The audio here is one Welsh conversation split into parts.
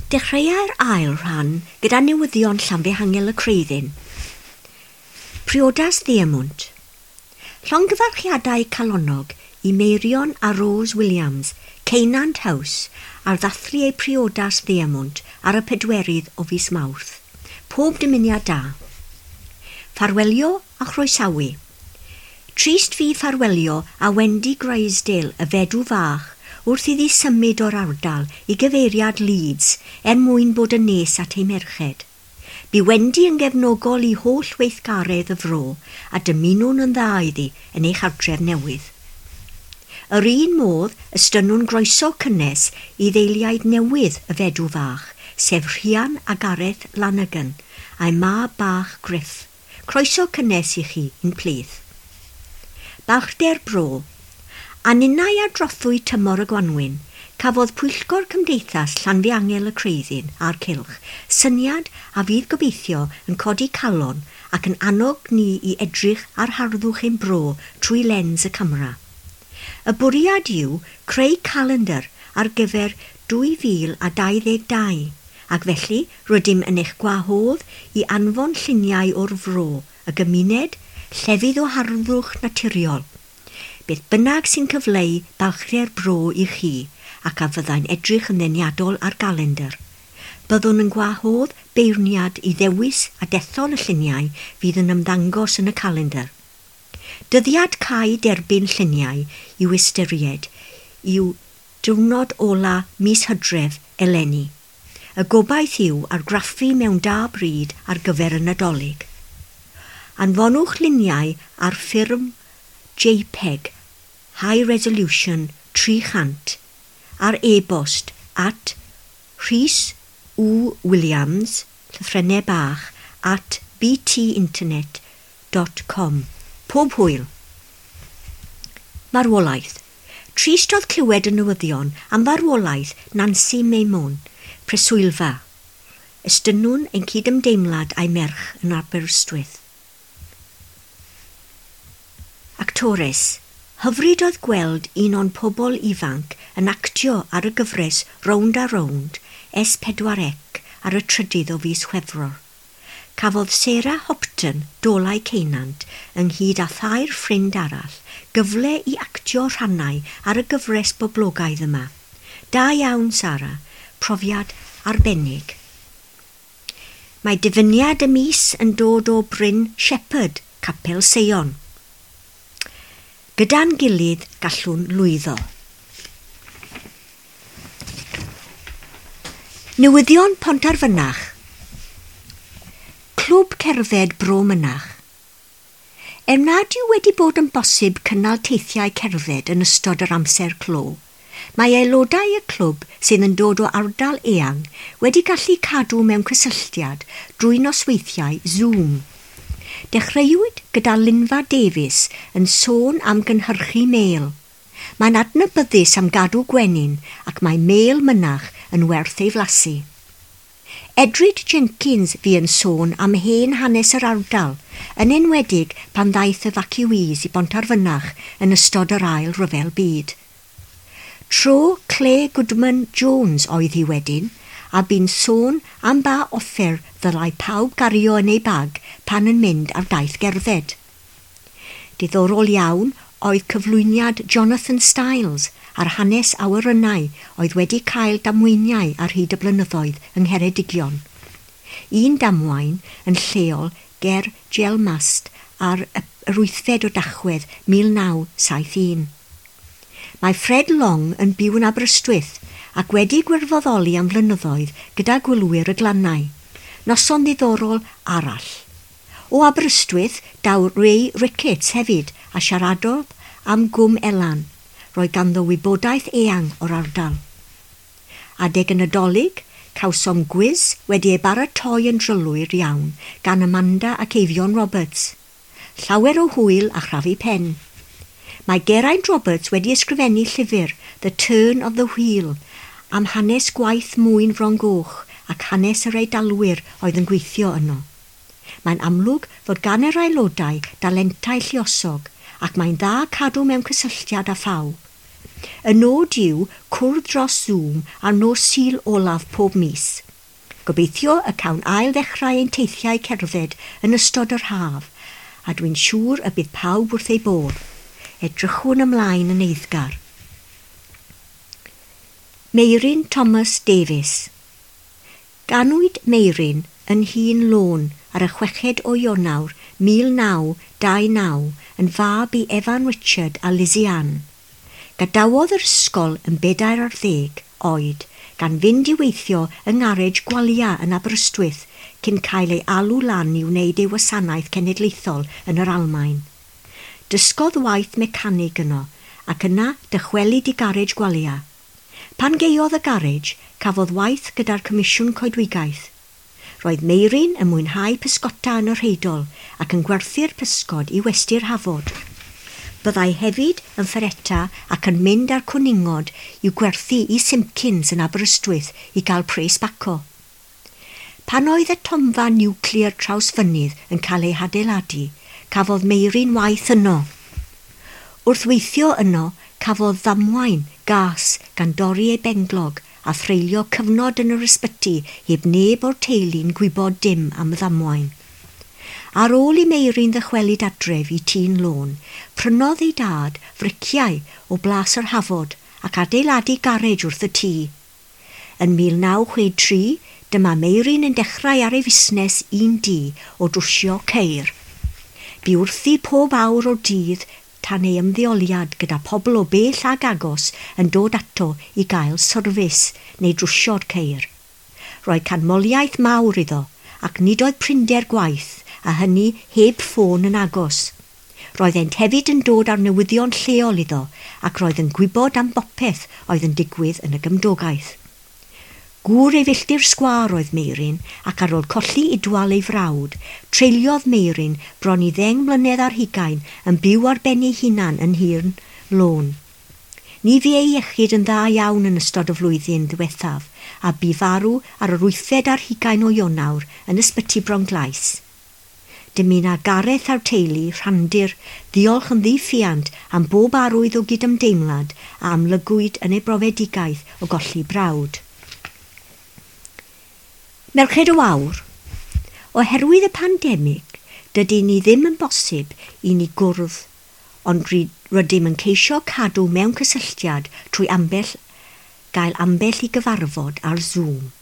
Dechreuai'r ail rhan gyda newyddion Llanfihangel y Creuddyn. Priodas Ddiemwnt. Llongyfarchiadau calonnog i Meirion a Rose Williams, Ceunant House, ar ddathlu eu priodas ddiemwnt ar y 4 o fis Mawrth. Pob dymuniad da. Ffarwelio a chroesawu. Trist fu ffarwelio â Wendy Grisdale, y fedw fach, wrth iddi symud o'r ardal i gyfeiriad Leeds er mwyn bod yn nes at ei merched. Bu Wendy yn gefnogol i holl weithgaredd y fro a dymunwn yn dda iddi yn ei chartref newydd. Yr un modd, estynnwn groeso cynnes i ddeiliaid newydd y fedw fach, sef Rhian a Gareth Lanagan, a'i mab bach Griff. Croeso cynnes i chi i'n plith. Balchder Bro. A ninnau ar drothwy tymor y gwanwyn, cafodd Pwyllgor Cymdeithas Llanfihangel y Creuddyn a'r Cylch syniad a fydd gobeithio yn codi calon ac yn annog ni i edrych ar harddwch ein bro trwy lens y camera. Y bwriad yw creu calendr ar gyfer 2022, ac felly rydym yn eich gwahodd i anfon lluniau o'r fro, y gymuned, llefydd o harddwch naturiol. Beth bynnag sy'n cyfleu balchder bro i chi ac a fyddai'n edrych yn ddeniadol ar galendr. Byddwn yn gwahodd beirniad i ddewis a dethol y lluniau fydd yn ymddangos yn y calendr. Dyddiad cau derbyn lluniau i'w ystyried yw diwrnod ola mis Hydref eleni. Y gobaith yw argraffu mewn da bryd ar gyfer y Nadolig. Anfonwch luniau ar ffurf JPEG High Resolution 300 ar e-bost at Rhys W Williams, llythrennau bach, at btinternet.com. Pob hwyl! Marwolaeth. Trist oedd clywed y newyddion am farwolaeth Nancy Maimon, preswylfa. Estynnwn ein cydymdeimlad a'i merch yn Aberystwyth. Actores. Hyfryd oedd gweld un o'n pobl ifanc yn actio ar y gyfres Rownd a Rownd S4C ar y 3 o fis Chwefror. Cafodd Sarah Hopton, Dolau Ceunant, ynghyd â thair ffrind arall, gyfle i actio rhannau ar y gyfres boblogaidd yma. Da iawn, Sarah. Profiad arbennig. Mae dyfyniad y mis yn dod o Bryn Shepherd, Capel Seion. Gyda'n gilydd gallwn lwyddo. Newyddion Pontarfynach. Clwb Cerdded Bro Mynach. Er nad yw wedi bod yn bosib cynnal teithiau cerdded yn ystod yr amser clo, mae aelodau y clwb sydd yn dod o ardal eang wedi gallu cadw mewn cysylltiad drwy nosweithiau Zoom. Dechreuwyd gyda Lynfa Davies yn sôn am gynhyrchu mêl. Mae'n adnabyddus am gadw gwenyn ac mae mêl Mynach yn werth ei flasu. Edryd Jenkins fu yn sôn am hen hanes yr ardal, yn enwedig pan ddaeth evacuees i Bontarfynach yn ystod yr Ail Ryfel Byd. Tro Claire Goodman Jones oedd hi wedyn, a bu'n sôn am ba offer ddylai pawb gario yn ei bag pan yn mynd ar daith gerdded. Diddorol iawn oedd cyflwyniad Jonathan Stiles ar hanes awyrennau oedd wedi cael damweiniau ar hyd y blynyddoedd yng Ngheredigion. Un damwain yn lleol ger Gelmast ar yr 8 o Dachwedd 1971. Mae Fred Long yn byw yn Aberystwyth ac wedi gwirfoddoli am flynyddoedd gyda gwylwyr y glannau. Noson ddiddorol arall. O Aberystwyth daw Ray Ricketts hefyd a siaradodd am Gwm Elan. Roedd ganddo wybodaeth eang o'r ardal. Adeg y Nadolig, cawsom gwis wedi ei baratoi yn drylwyr iawn gan Amanda ac Eifion Roberts. Llawer o hwyl a chrafu pen. Mae Geraint Roberts wedi ysgrifennu llyfr The Turn of the Wheel am hanes gwaith mwyn Fron Goch ac hanes yr Eidalwyr oedd yn gweithio yno. Mae'n amlwg fod gan yr aelodau dalentau lluosog ac mae'n dda cadw mewn cysylltiad â phawb. Y nod yw cwrdd dros Zoom ar nos Sul olaf pob mis. Gobeithio y cawn ail ddechrau ein teithiau cerdded yn ystod yr haf, a dwi'n siŵr y bydd pawb wrth ei bodd. Edrychwn ymlaen yn eiddgar. Meiryn Thomas Davies. Ganwyd Meiryn yn Nhŷ'n Lôn ar y 6 o Ionawr 1929 yn fab i Evan Richard a Lizzie Ann. Gadawodd yr ysgol yn 40 oed gan fynd i weithio yng ngarej Gwalia yn Aberystwyth cyn cael ei alw lan i wneud ei wasanaeth cenedlaethol yn yr Almaen. Dysgodd waith mecanig yno ac yna dychwelyd i garej Gwalia. Pan gaeodd y garej, cafodd waith gyda'r Comisiwn Coedwigaeth. Roedd Meiryn yn mwynhau pysgota yn y Rheidol ac yn gwerthu'r pysgod i Westy'r Hafod. Byddai hefyd yn ffereta ac yn mynd â'r cwningod i'w gwerthu i Simpkins yn Aberystwyth i gael pres baco. Pan oedd y tomfa niwclear Trawsfynydd yn cael ei hadeiladu, cafodd Meiryn waith yno. Wrth weithio yno, cafodd ddamwain gas gan dorri ei benglog a threulio cyfnod yn yr ysbyty heb neb o'r teulu'n gwybod dim am y ddamwain. Ar ôl i Meiryn ddychwelyd adref i Tŷ'n Lôn, prynodd ei dad friciau o Blas yr Hafod ac adeiladu garej wrth y tŷ. Yn 1963, dyma Meiryn yn dechrau ar ei fusnes un du o drwsio ceir. Bu wrthi pob awr o'r dydd tan ei ymddeoliad gyda pobl o bell ag agos yn dod ato i gael syrfis neu drwsio'r ceir. Roedd canmoliaeth mawr iddo ac nid oedd prinder gwaith a hynny heb ffôn yn agos. Roeddent hefyd yn dod â'r newyddion lleol iddo ac roedd yn gwybod am bopeth oedd yn digwydd yn y gymdogaeth. Gŵr ei filltir sgwâr oedd Meiryn ac ar ôl colli Idwal ei frawd, treuliodd Meiryn bron i 10 mlynedd ar hugain yn byw ar ben ei hunan yn Nhŷ'n Lôn. Ni fu ei iechyd yn dda iawn yn ystod y flwyddyn ddiwethaf a bu farw ar yr 28 o Ionawr yn ysbyty Bronglais. Dymuna Gareth a'r teulu Rhandir ddiolch yn ddiffuant am bob arwydd o gydymdeimlad a amlygwyd yn ei brofedigaeth o golli brawd. Merched y Wawr. Oherwydd y pandemig, dydy ni ddim yn bosib i ni gwrdd, ond rydym yn ceisio cadw mewn cysylltiad trwy ambell gael ambell i gyfarfod ar Zoom.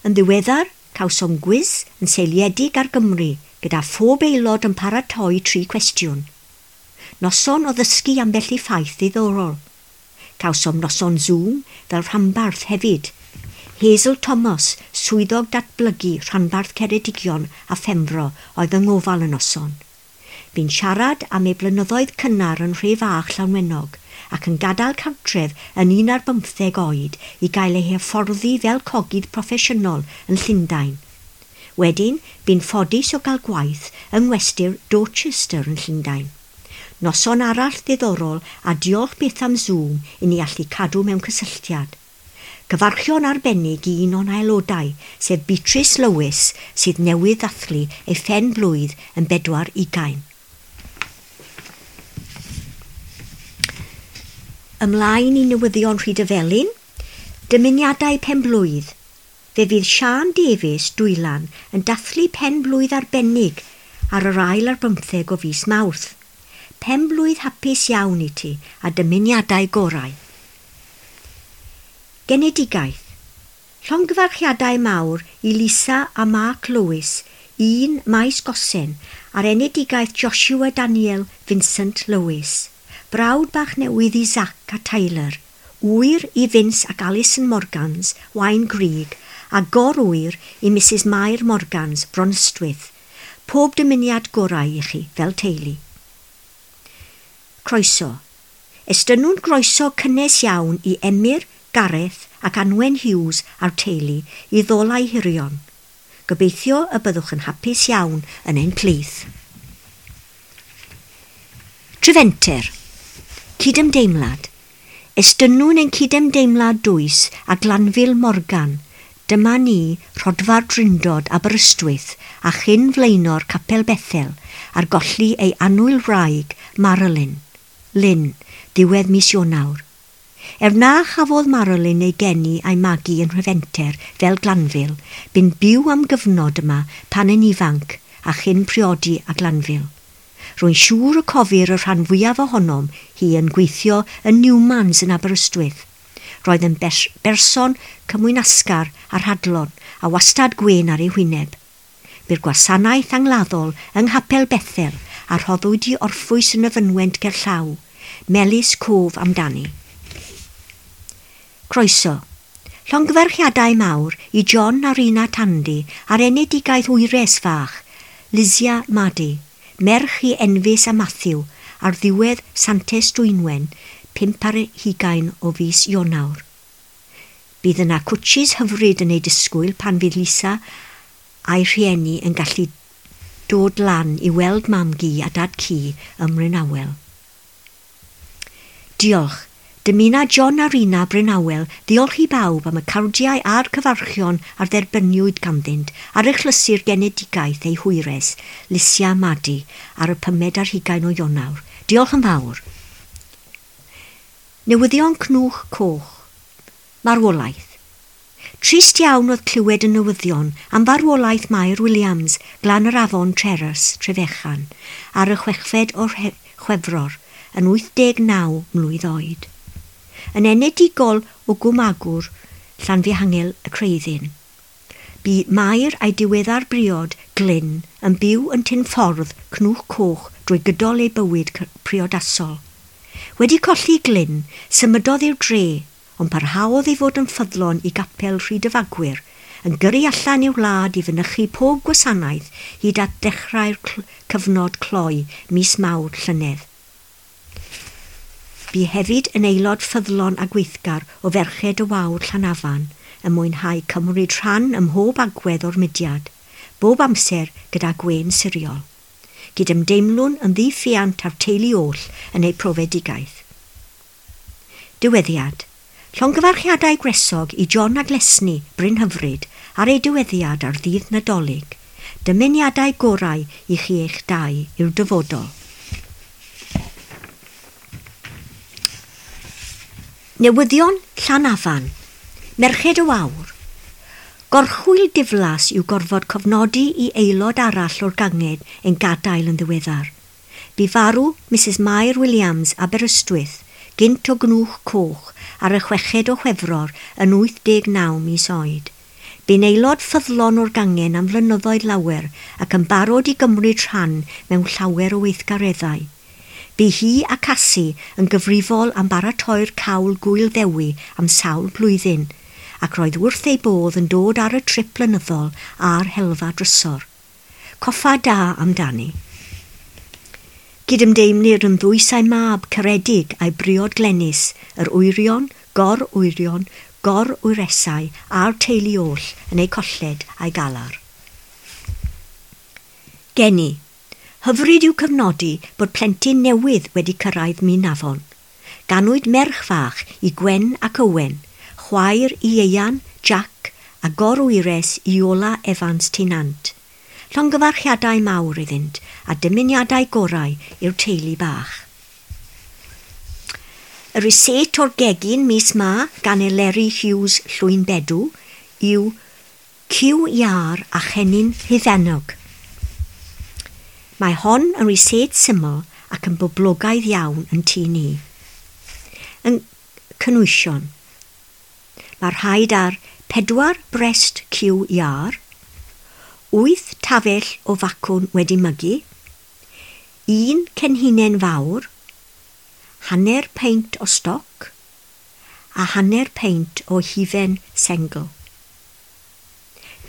Yn ddiweddar, cawsom gwis yn seiliedig ar Gymru gyda phob aelod yn paratoi 3 cwestiwn. Noson o ddysgu ambell i ffaith ddiddorol. Cawsom noson Zoom fel rhanbarth hefyd. Hazel Thomas, swyddog datblygu rhanbarth Ceredigion a Phenfro, oedd yng ngofal y noson. Bu'n siarad am ei blynyddoedd cynnar yn Rhe Fach Llanwenog ac yn gadael cartref yn 15 oed i gael ei hyfforddi fel cogydd proffesiynol yn Llundain. Wedyn, bu'n ffodus o gael gwaith yng Ngwesty'r Dorchester yn Llundain. Noson arall ddiddorol a diolch byth am Zoom i ni allu cadw mewn cysylltiad. Cyfarchion arbennig i un o'n aelodau, sef Beatrice Lewis, sydd newydd ddathlu ei phen blwydd yn 24. Ymlaen i newyddion Rhydyfelin, dymuniadau penblwydd. Fe fydd Siân Davies, Dwylan, yn dathlu penblwydd arbennig ar yr 24 o fis Mawrth. Penblwydd hapus iawn i ti a dymuniadau gorau. Genedigaeth. Llongyfarchiadau mawr i Lisa a Mark Lewis, 1 Maes Gosen, ar enedigaeth Joshua Daniel Vincent Lewis. Brawd bach newydd i Zach a Tyler, ŵyr i Vince ac Alison Morgans, Waun Grug, a gor-ŵyr i Mrs Mair Morgans, Bronystwyth. Pob dymuniad gorau i chi fel teulu. Croeso. Estynnwn groeso cynnes iawn i Emyr, Gareth ac Anwen Hughes a'r teulu i Ddolau Hirion. Gobeithio y byddwch yn hapus iawn yn ein plith. Trefenter. Cydymdeimlad. Estynnwn ein cydymdeimlad dwys a Glanfil Morgan. Dyma ni, Rhodfa'r Drindod Aberystwyth a chyn flaenor Capel Bethel ar golli ei annwyl wraig Marilyn, Lynn, ddiwedd mis Ionawr. Er na chafodd Marilyn ei geni a'i magu yn Nhrefenter fel Glanville, bu'n byw am gyfnod yma pan yn ifanc a chyn priodi a Glanville. Rwy'n siŵr y cofir y rhan fwyaf ohonom hi yn gweithio yn Newmans yn Aberystwyth. Roedd yn berson cymwynasgar a rhadlon a wastad gwên ar ei hwyneb. Bu'r gwasanaeth angladdol yng Nghapel Bethel a rhoddwyd i orffwys yn y fynwent gerllaw, melys cof amdani. Croeso. Llongyfarchiadau mawr i John a Rina Tandy ar enedigaeth wyres fach, Lizia Madi, merch i Enfys a Matthew, ar ddiwedd Santes Dwynwen, 25 o fis Ionawr. Bydd yna cwtshis hyfryd yn ei disgwyl pan fydd Lisa a'i rhieni yn gallu dod lan i weld mam-gu a dad-cu ym Mrynawel. Diolch. Dymuna John a Rina Brynawel ddiolch i bawb am y cardiau a'r cyfarchion a'r dderbyniwyd ganddynt ar achlysur genedigaeth ei hwyres, Lisia Madi, ar y 25 o Ionawr. Diolch yn fawr. Newyddion Cnwch Coch. Marwolaeth. Trist iawn oedd clywed y newyddion am farwolaeth Mair Williams, Glan yr Afon Treras, Trefechan, ar y 6 o Chwefror, yn 89 mlwydd oed. Yn enedigol o Gwmagwr, Llanfihangel y Creuddyn. Bu Mair a'i diweddar briod, Glyn, yn byw yn Tyn Ffordd, Cnwch Coch, drwy gydol ei bywyd priodasol. Wedi colli Glyn, symudodd i'r dre, ond parhaodd ei fod yn ffyddlon i gapel Rhyd y Fagwyr, yn gyrru allan i'w wlad i fynychu pob gwasanaeth hyd at ddechrau'r cyfnod cloi mis Mawr llynedd. Bu hefyd yn aelod ffyddlon a gweithgar o Ferched y Wawr Llanafan, yn mwynhau cymryd rhan ym mhob agwedd o'r mudiad, bob amser gyda gwên siriol. Gydymdeimlwn yn ddiffuant â'r teulu oll yn eu profedigaeth. Diweddiad. Llongyfarchiadau gwresog i John a Glesni, Bryn Hyfryd, ar ei diweddiad ar ddydd Nadolig. Dymuniadau gorau i chi eich dau i'w dyfodol. Newyddion Llanafan. Merched y Wawr. Gorchwyl diflas yw gorfod cofnodi i aelod arall o'r ganged yn gadael yn ddiweddar. Bu farw Mrs Mair Williams Aberystwyth, gynt o Gnwch Coch, ar y 6 o Chwefror yn 89 mis oed. Bu'n aelod ffyddlon o'r gangen am flynyddoedd lawer ac yn barod i gymryd rhan mewn llawer o weithgareddau. Bu hi a Cassie yn gyfrifol am baratoi'r cawl gwyl ddewi am sawl blwyddyn, ac roedd wrth ei bodd yn dod ar y trip blynyddol a'r helfa drysor. Coffa da amdani. Gydymdeimlir yn ddwys a'i mab caredig a'i briod Glenys, yr wyrion, gor-wyrion, gor-wyresau a'r teulu oll yn eu colled a'i galar. Geni. Hyfryd yw cyfnodi bod plentyn newydd wedi cyrraedd Minafon. Ganwyd merch fach i Gwen ac Owen, chwaer i Ieuan, Jack a gorwyres Iola Evans Tinant. Llongyfarchiadau mawr iddynt a dymuniadau gorau i'r teulu bach. Y rysáit o'r gegin mis ma gan Eleri Hughes Llwynbedw yw cyw iâr a chennin hufennog. Mae hon yn rysáit syml ac yn boblogaidd iawn yn tŷ ni. Yn cynwysion. Mae rhaid ar 4 brest cyw iâr, 8 tafell o facwn wedi mygu, 1 cenhinen fawr, 1/2 peint o stoc a 1/2 peint o hufen sengl.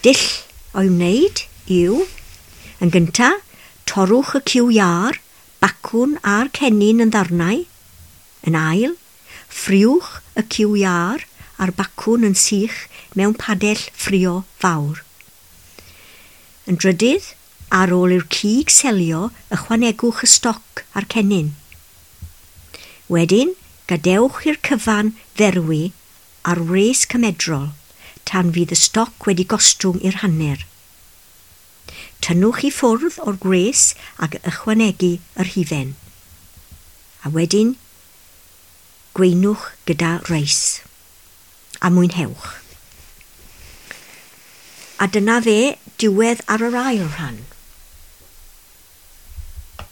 Dull o'i wneud yw, yn gyntaf, torrwch y cyw iâr, bacwn a'r cennin yn ddarnau. Yn ail, ffriwch y cyw iâr a'r bacwn yn sych mewn padell ffrio fawr. Yn drydydd, ar ôl i'r cig selio, ychwanegwch y stoc a'r cennin. Wedyn, gadewch i'r cyfan ferwi ar wres cymedrol, tan fydd y stoc wedi gostwng i'r hanner. Tynnwch i ffwrdd o'r gwres ac ychwanegu yr hufen. A wedyn, Gweinwch gyda reis. A mwynhewch. A dyna fe, diwedd ar yr ail rhan.